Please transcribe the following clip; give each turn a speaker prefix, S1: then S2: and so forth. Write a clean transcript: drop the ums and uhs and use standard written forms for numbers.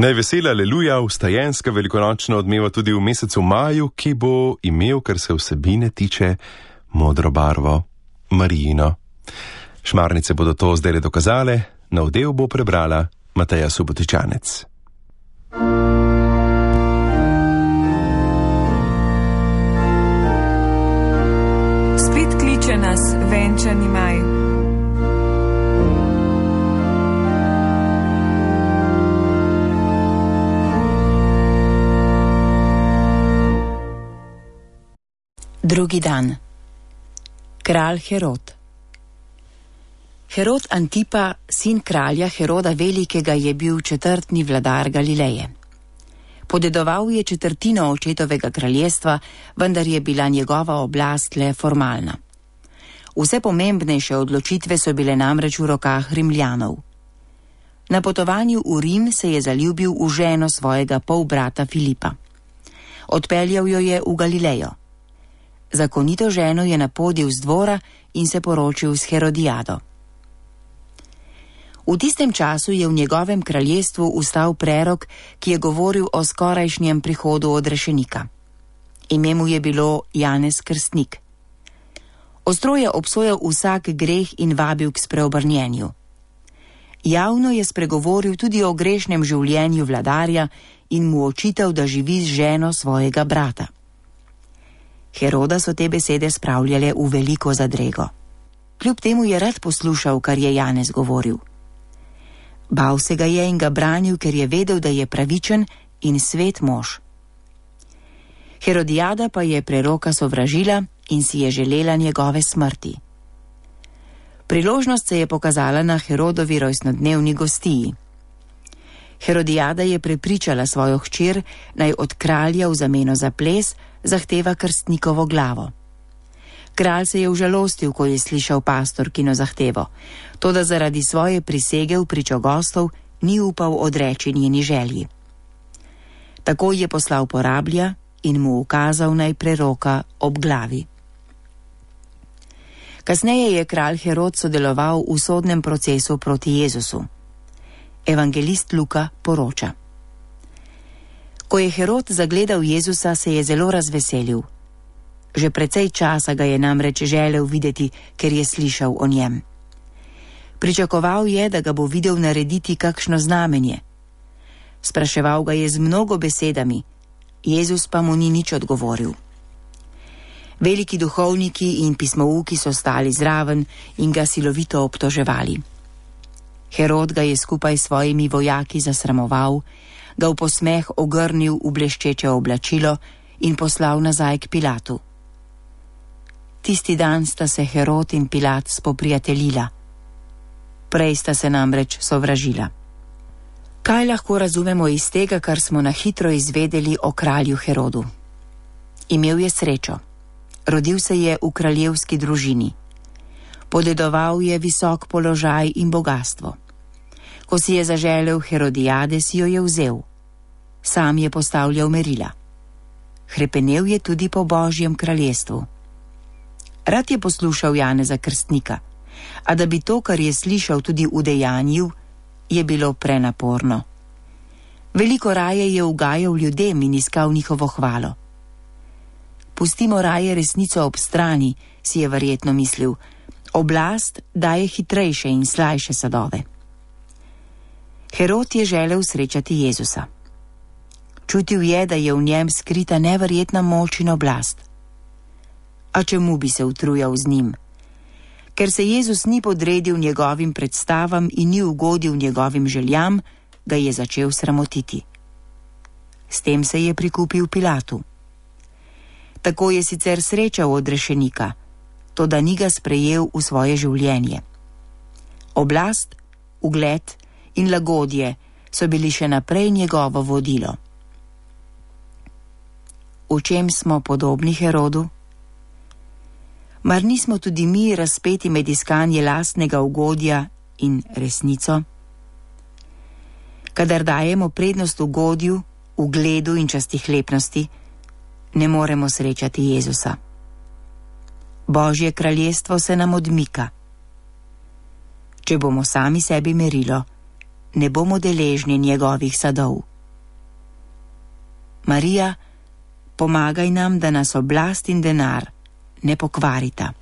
S1: Najvesela aleluja, vstajenska velikonočna odmeva tudi v mesecu maju, ki bo imel, kar se vsebine tiče, modro barvo, Marijino. Šmarnice bodo to zdaj dokazale, na vdev bo prebrala Mateja Subotičanec.
S2: Spet kliče nas venčani maj.
S3: Drugi dan. Kralj Herod. Herod Antipa, sin kralja Heroda Velikega, je bil četrtni vladar Galileje. Podedoval je četrtino očetovega kraljestva, vendar je bila njegova oblast le formalna. Vse pomembnejše odločitve so bile namreč v rokah Rimljanov. Na potovanju v Rim se je zaljubil v ženo svojega polbrata Filipa. Odpeljal jo je v Galilejo. Zakonito ženo je napodil z dvora in se poročil s Herodijado. V tistem času je v njegovem kraljestvu ustal prerok, ki je govoril o skorajšnjem prihodu odrešenika. Ime mu je bilo Janez Krstnik. Ostro je obsojal vsak greh in vabil k spreobrnjenju. Javno je spregovoril tudi o grešnem življenju vladarja in mu očital, da živi z ženo svojega brata. Heroda so te besede spravljale v veliko zadrego. Kljub temu je rad poslušal, kar je Janez govoril. Bal se ga je in ga branil, ker je vedel, da je pravičen in svet mož. Herodijada pa je preroka sovražila in si je želela njegove smrti. Priložnost se je pokazala na Herodovi rojstnodnevni gostiji. Herodijada je prepričala svojo hčer, naj od kralja v zameno za ples zahteva krstnikovo glavo. Kralj se je užalostil, ko je slišal pastorkino zahtevo, toda zaradi svoje prisege v pričo gostov ni upal odreči njeni želji. Tako je poslal porablja in mu ukazal, naj preroka obglavi. Kasneje je kralj Herod sodeloval v sodnem procesu proti Jezusu. Evangelist Luka poroča. Ko je Herod zagledal Jezusa, se je zelo razveselil. Že precej časa ga je namreč želel videti, ker je slišal o njem. Pričakoval je, da ga bo videl narediti kakšno znamenje. Spraševal ga je z mnogo besedami, Jezus pa mu ni nič odgovoril. Veliki duhovniki in pismouki so stali zraven in ga silovito obtoževali. Herod ga je skupaj s svojimi vojaki zasramoval, ga v posmeh ogrnil v bleščeče oblačilo in poslal nazaj k Pilatu. Tisti dan sta se Herod in Pilat spoprijateljila. Prej sta se namreč sovražila. Kaj lahko razumemo iz tega, kar smo na hitro izvedeli o kralju Herodu? Imel je srečo. Rodil se je v kraljevski družini. Podedoval je visok položaj in bogastvo. Ko si je zaželel Herodijade, si jo je vzel. Sam je postavljal merila. Hrepenel je tudi po Božjem kraljestvu. Rad je poslušal Janeza Krstnika, a da bi to, kar je slišal, tudi udejanjil, je bilo prenaporno. Veliko raje je ugajal ljudem in iskal njihovo hvalo. Pustimo raje resnico ob strani, si je verjetno mislil, oblast daje hitrejše in slajše sadove. Herod je želel srečati Jezusa. Čutil je, da je v njem skrita neverjetna moč in oblast. A čemu bi se utrujal z njim? Ker se Jezus ni podredil njegovim predstavam in ni ugodil njegovim željam, ga je začel sramotiti. S tem se je prikupil Pilatu. Tako je sicer srečal odrešenika, toda ni ga sprejel v svoje življenje. Oblast, ugled in lagodje so bili še naprej njegovo vodilo. V čem smo podobni Herodu? Mar nismo tudi mi razpeti med iskanje lastnega ugodja in resnico? Kadar dajemo prednost ugodju, ugledu in častihlepnosti, ne moremo srečati Jezusa. Božje kraljestvo se nam odmika. Če bomo sami sebi merilo, ne bomo deležni njegovih sadov. Marija, pomagaj nam, da nas oblast in denar ne pokvarita.